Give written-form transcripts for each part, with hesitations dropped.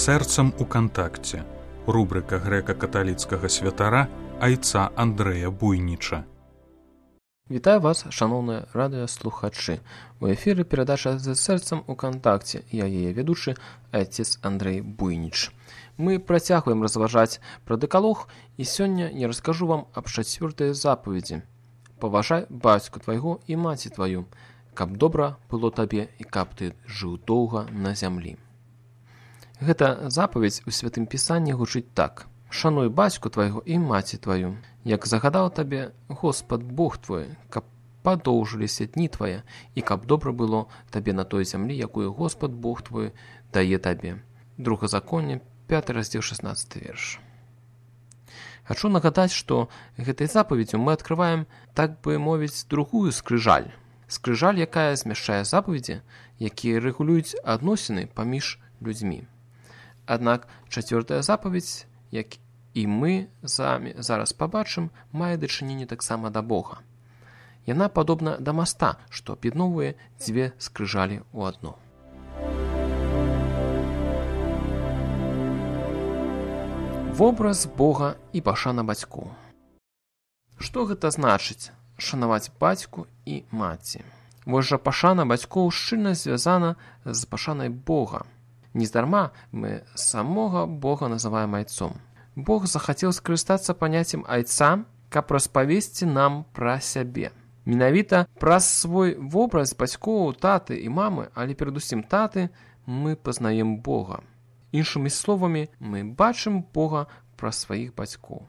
Сэрцам у кантакце. Рубрика грэка-каталіцкага святара айца Андрэя Буйніча. Вітаю вас, шановныя радыёслухачы. У эфіры перадача «З сэрцам у кантакце». Я яе ведучы, айцец Андрэй Буйніч. Мы працягваем разважаць пра дэкалог, і сёння я раскажу вам аб 4-й запаведзі. Паважай бацьку твайго і маці тваю, каб добра было табе і каб ты жыў доўга на зямлі. Гэта запаведзь у Святым Пісанні гучыць так. Шануй бацьку твайго і маці тваю, як загадаў табе Господ Бог твой, каб падоўжыліся дні твае, і каб добра было табе на той зямлі, якую Господ Бог твой дае табе. Другазаконне, 5 раздзел, 16 верш. Хачу нагадаць, што гэтай запаведзю мы адкрываем, так бы мовіць, другую скрыжаль. Скрыжаль, якая змяшчае запаведзі, якія рэгулююць адносіны паміж людзьмі. Аднак 4-я запаведзь, як і мы самі зараз пабачым, мае дачыненне таксама да Бога. Яна падобна да моста, што аб'ядноўвае дзве скрыжалі ў адно. Вобраз Бога і пашана бацькоў. Што гэта значыць шанаваць бацьку і маці? Вось жа пашана бацькоў шчыльна звязана з пашанай Бога. Нездарма мы самога Бога называем айцом. Бог захацеў скарыстацца паняццем айца, каб распавесці нам пра сябе. Менавіта праз свой вобраз бацькоў, таты і мамы, але перадусім таты, мы пазнаем Бога. Іншымі словамі, мы бачым Бога праз сваіх бацькоў.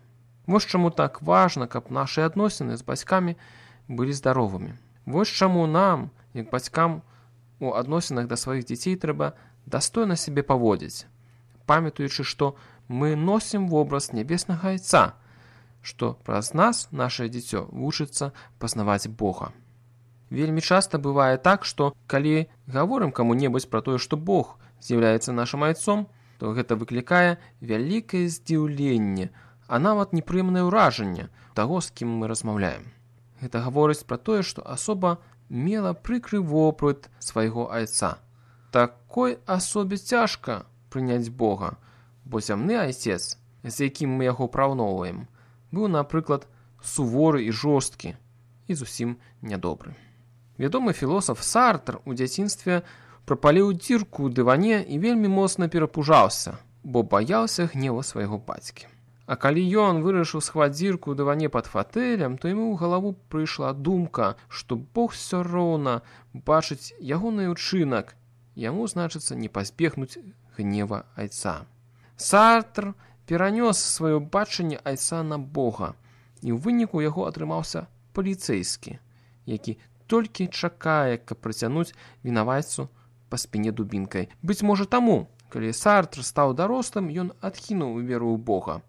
Вось чаму так важна, каб нашы адносіны з бацькамі былі здаровымі. Вось чаму нам, як бацькам, у адносінах да сваіх дзяцей трэба дастойна сябе паводзіць, памятаючы, што мы носім вобраз нябеснага айца, што праз нас нашае дзіцё вучыцца пазнаваць Бога. Вельмі часта бывае так, што калі гаворым каму-небудзь пра тое, што Бог з'яўляецца нашым айцом, то гэта выклікае вялікае здзіўленне, а нават непрыемнае ўражанне таго, з кім мы размаўляем. Гэта гаворыць пра тое, што асоба мела прыкры вопыт свайго айца. Такой асобе цяжка прыняць Бога, бо зямны айцец, з якім мы яго параўноўваем, быў, напрыклад, суворы і жорсткі і зусім нядобры. Вядомы філосаф Сартр у дзяцінстве прапаліў дзірку ў дыване і вельмі моцна перапужаўся, бо баяўся гневу свайго бацькі. А калі ён вырашыў схаваць дзірку ў дыване пад фатэлем, то яму ў галаву прыйшла думка, што Бог усё роўна бачыць ягоны ўчынак, яму, значыцца, не пазбегнуць гнева айца. Сартр перанёс сваё бачанне айца на Бога, і ў выніку яго атрымаўся паліцэйскі, які толькі чакае, каб прыцягнуць вінаваццу па спіне дубінкай. Быць можа таму, калі Сартр стаў дарослым, ён адкінуў веру ў Бога.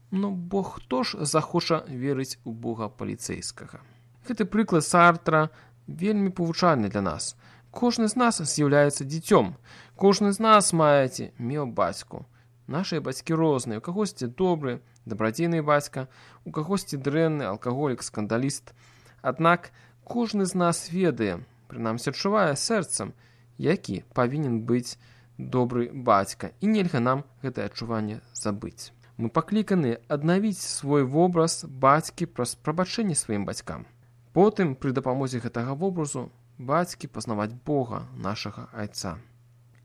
Но Бог хто ж захоча верыць у Бога паліцэйскага? Гэты прыклад Сартра вельмі павучальны для нас. Кожны з нас з'яўляецца дзіцём. Кожны з нас маеце меў бацьку. Нашыя бацькі розныя. У кагосьці добры, дабрадзейны бацька, у кагосьці дрэнны, алкаголік, скандаліст. Аднак кожны з нас ведае, прынамсі адчувае сэрцам, які павінен быць добры бацька, і нельга нам гэтае адчуванне забыць. Мы пакліканы аднавіць свой вобраз бацькі праз прабачэнне сваім бацькам. Потым, пры дапамозе гэтага вобразу, бацькі пазнаваць Бога, нашага айца.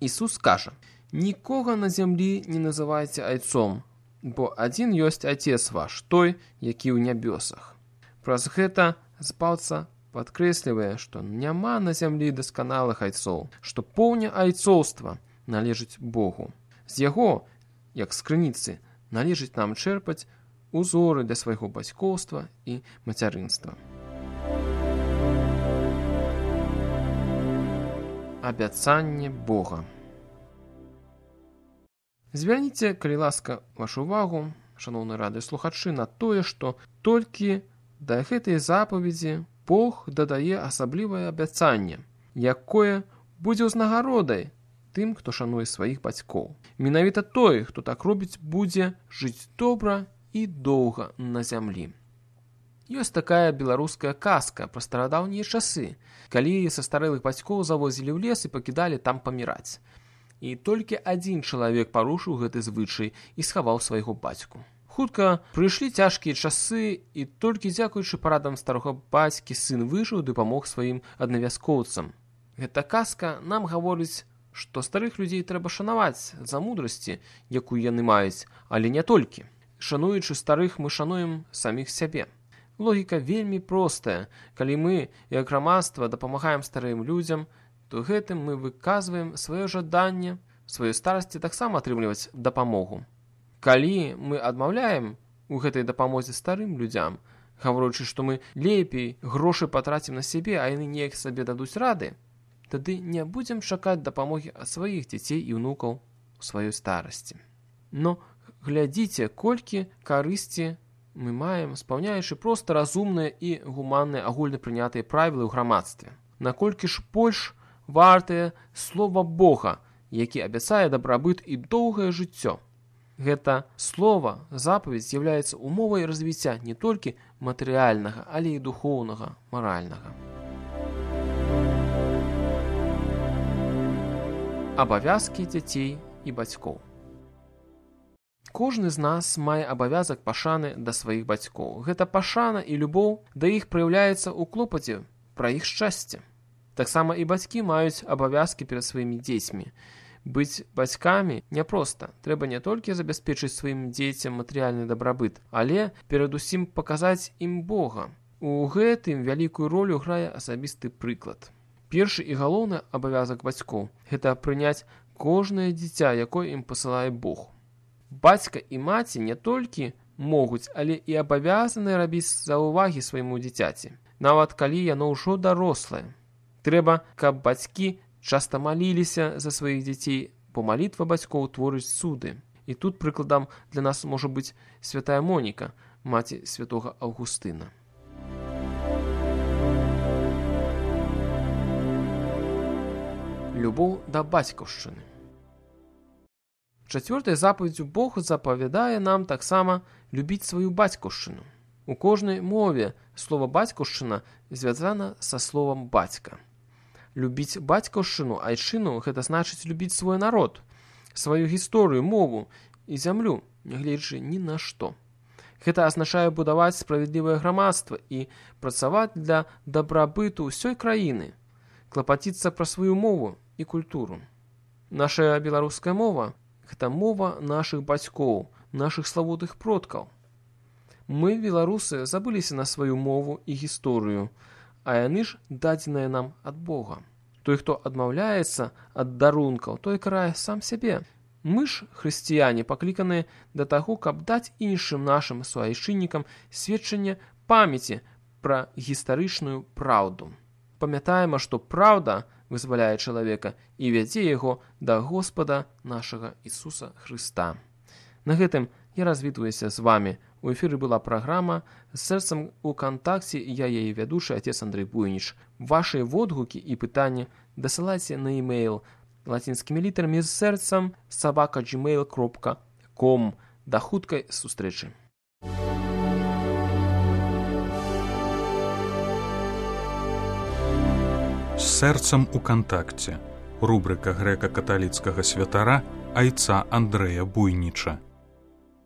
Ісус кажа: «Нікога на зямлі не называйце айцом, бо адзін ёсць Айцец ваш, той, які ў нябёсах». Праз гэта збаўца падкрэслівае, што няма на зямлі дасканалых айцоў, што поўня айцоўства належыць Богу. З яго, як з крыніцы, належыць нам чэрпаць узоры для свайго бацькоўства і мацярынства. Абяцанне Бога. Звярніце, калі ласка, вашу увагу, шаноўныя радыёслухачы, на тое, што толькі да гэтай запаведзі Бог дадае асаблівае абяцанне, якое будзе ўзнагародай тым, хто шануе сваіх бацькоў. Менавіта той, хто так робіць, будзе жыць добра і доўга на зямлі. Ёсць такая беларуская казка пра старадаўнія часы, калі са старэлых бацькоў завозілі ў лес і пакідалі там паміраць. і толькі адзін чалавек парушыў гэты звычай і схаваў свайго бацьку. Хутка прыйшлі цяжкія часы, і толькі дзякуючы парадам старога бацькі сын выжыў ды памог сваім аднавяскоўцам. Гэта казка нам гаворыць, што старых людзей трэба шанаваць за мудрасці, якую яны маюць, але не толькі. Шануючы старых, мы шануем саміх сябе. Логіка вельмі простая. Калі мы, як грамадства, дапамагаем старым людзям, то гэтым мы выказваем сваё жаданне сваёй старасці таксама атрымліваць дапамогу. Калі мы адмаўляем у гэтай дапамозе старым людзям, гаворачы, што мы лепей грошы патрацім на сябе, а яны неяк сабе дадуць рады, тады не будзем чакаць дапамогі ад сваіх дзяцей і ўнукаў у сваёй старасці. Но глядзіце, колькі карысці мы маем, спаўняючы проста разумныя і гуманныя агульнапрынятыя правілы ў грамадстве. Наколькі ж больш вартае слова Бога, які абяцае дабрабыт і доўгае жыццё. Гэта слова, запаведь з'яўляецца умовай развіцця не толькі матэрыяльнага, але і духоўнага, маральнага. Абавязкі дзяцей і бацькоў. Кожны з нас мае абавязак пашаны да сваіх бацькоў. Гэта пашана і любоў да іх праяўляецца ў клопаце пра іх шчасце. Таксама і бацькі маюць абавязкі перад сваімі дзецьмі. Быць бацькамі няпроста. Трэба не толькі забяспечыць сваім дзецям матэрыяльны дабрабыт, але перадусім паказаць ім Бога. У гэтым вялікую ролю грае асабісты прыклад. Першы і галоўны абавязак бацькоў – гэта прыняць кожнае дзіця, якое ім пасылае Бог. Бацька і маці не толькі могуць, але і абавязаны рабіць заўвагі свайму дзіцяці, нават калі яно ўжо дарослае. Трэба, каб бацькі часта маліліся за сваіх дзяцей, бо малітва бацькоў творыць цуды. І тут прыкладам для нас можа быць святая Моніка, маці святога Аўгустына. Любоў да бацькаўшчыны. Чацвёртай запаведдзю Бог запавядае нам таксама любіць сваю бацькаўшчыну. У кожнай мове слова бацькаўшчына звязана са словам бацька. Любіць бацькаўшчыну, айчыну – гэта значыць любіць свой народ, сваю гісторыю, мову і зямлю, нягледзячы ні на што. Гэта азначае будаваць справядлівае грамадства і працаваць для дабрабыту ўсёй краіны, клапаціцца пра сваю мову і культуру. Наша беларуская мова – гэта мова нашых бацькоў, нашых славутых продкаў. Мы, беларусы, забыліся на сваю мову і гісторыю, а яны ж дадзеныя нам ад Бога. Той, хто адмаўляецца ад дарункаў, той карае сам сябе. Мы ж, хрысціяне, пакліканыя да таго, каб даць іншым нашым суайчыннікам сведчанне памяці пра гістарычную праўду. Памятаем, што праўда вызваляе чалавека і вядзе яго да Господа нашага Ісуса Хрыста. На гэтым я развітваюся з вамі. У эфіры была праграма «З сэрцам у кантакце», я яе вядучы, отец Андрэй Буйніч. Вашы водгукі і пытанні дасылайце на e-mail лацінскімі літарамі з сэрцам @gmail.com. Да хуткай сустрэчы. З сэрцам у кантакце. Рубрыка грэка-каталіцкага святара айца Андрэя Буйніча.